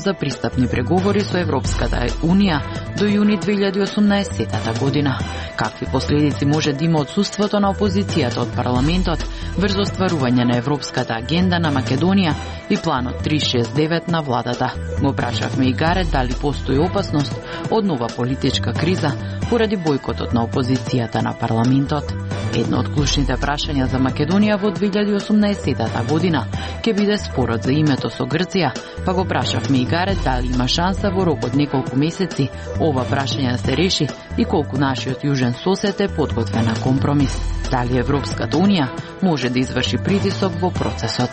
за пристапни преговори со Европската Унија до јуни 2018 година. Какви последици може да има отсуството на опозицијата од парламентот врз остварување на европската агенда на Македонија и планот 369 на владата? Му прашавме и Гарет дали постои опасност од нова политичка криза поради бојкотот на опозицијата на парламентот. Едно од клучните прашања за Македонија во 2018 година ќе биде спорот за името со Грција, па го прашавме и Гарет дали има шанса во рок од неколку месеци ова прашање да се реши и колку нашиот јужен сосед е подготвен на компромис. Дали Европската Унија може да изврши притисок во процесот.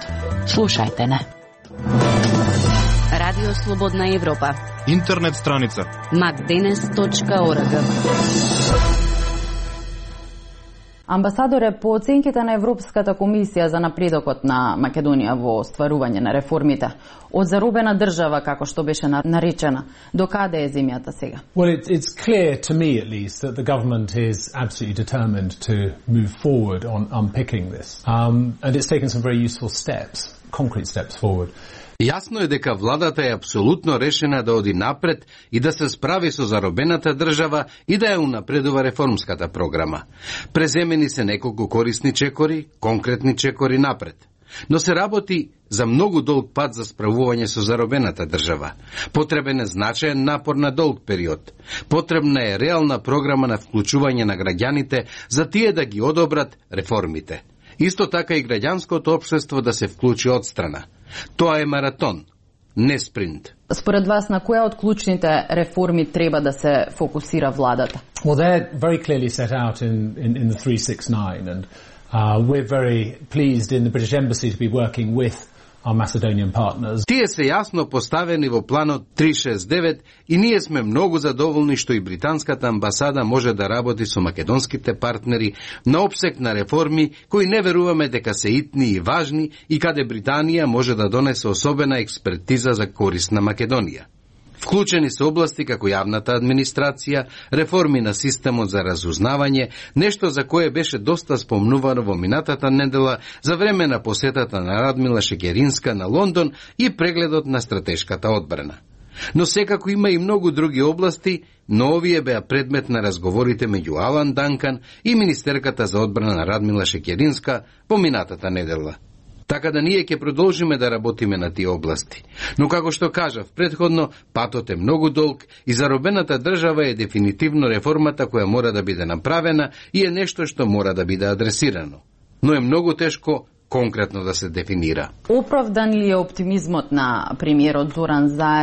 Слушајте не. Радио Слободна Европа. Интернет страница macdenes.org. Амбасадоре, по оценките на Европската комисија за напредокот на Македонија во остварување на реформите, од заробена држава, како што беше наречена, до каде е земјата сега? Well, it's clear to me at least that the government is absolutely determined to move forward on unpicking this. And it's taken some very useful steps, concrete steps forward. Јасно е дека владата е апсолутно решена да оди напред и да се справи со заробената држава и да ја унапредува реформската програма. Преземени се неколку корисни чекори, конкретни чекори напред. Но се работи за многу долг пат за справување со заробената држава. Потребен е значаен напор на долг период. Потребна е реална програма на вклучување на граѓаните за тие да ги одобрат реформите. Исто така и граѓанското општество да се вклучи од страна. Тоа е маратон, не спринт. Според вас, на која од клучните реформи треба да се фокусира владата? Well, they're very clearly set out in the 369, and we're very pleased in the British Embassy to be working with our Macedonian partners. Тие се јасно поставени во планот 369 и ние сме многу задоволни што и британската амбасада може да работи со македонските партнери на опсек на реформи кои не веруваме дека се итни и важни и каде Британија може да донесе особена експертиза за корист на Македонија. Вклучени се области како јавната администрација, реформи на системот за разузнавање, нешто за кое беше доста спомнувано во минатата недела за време на посетата на Радмила Шекеринска на Лондон и прегледот на стратешката одбрана. Но секако има и многу други области, но овие беа предмет на разговорите меѓу Алан Данкан и министерката за одбрана на Радмила Шекеринска по минатата недела. Така да ние ќе продолжиме да работиме на тие области. Но како што кажав претходно, патот е многу долг и заробената држава е дефинитивно реформата која мора да биде направена и е нешто што мора да биде адресирано. Но е многу тешко конкретно да се дефинира. Оправдан ли е оптимизмот на премиерот Зоран Заев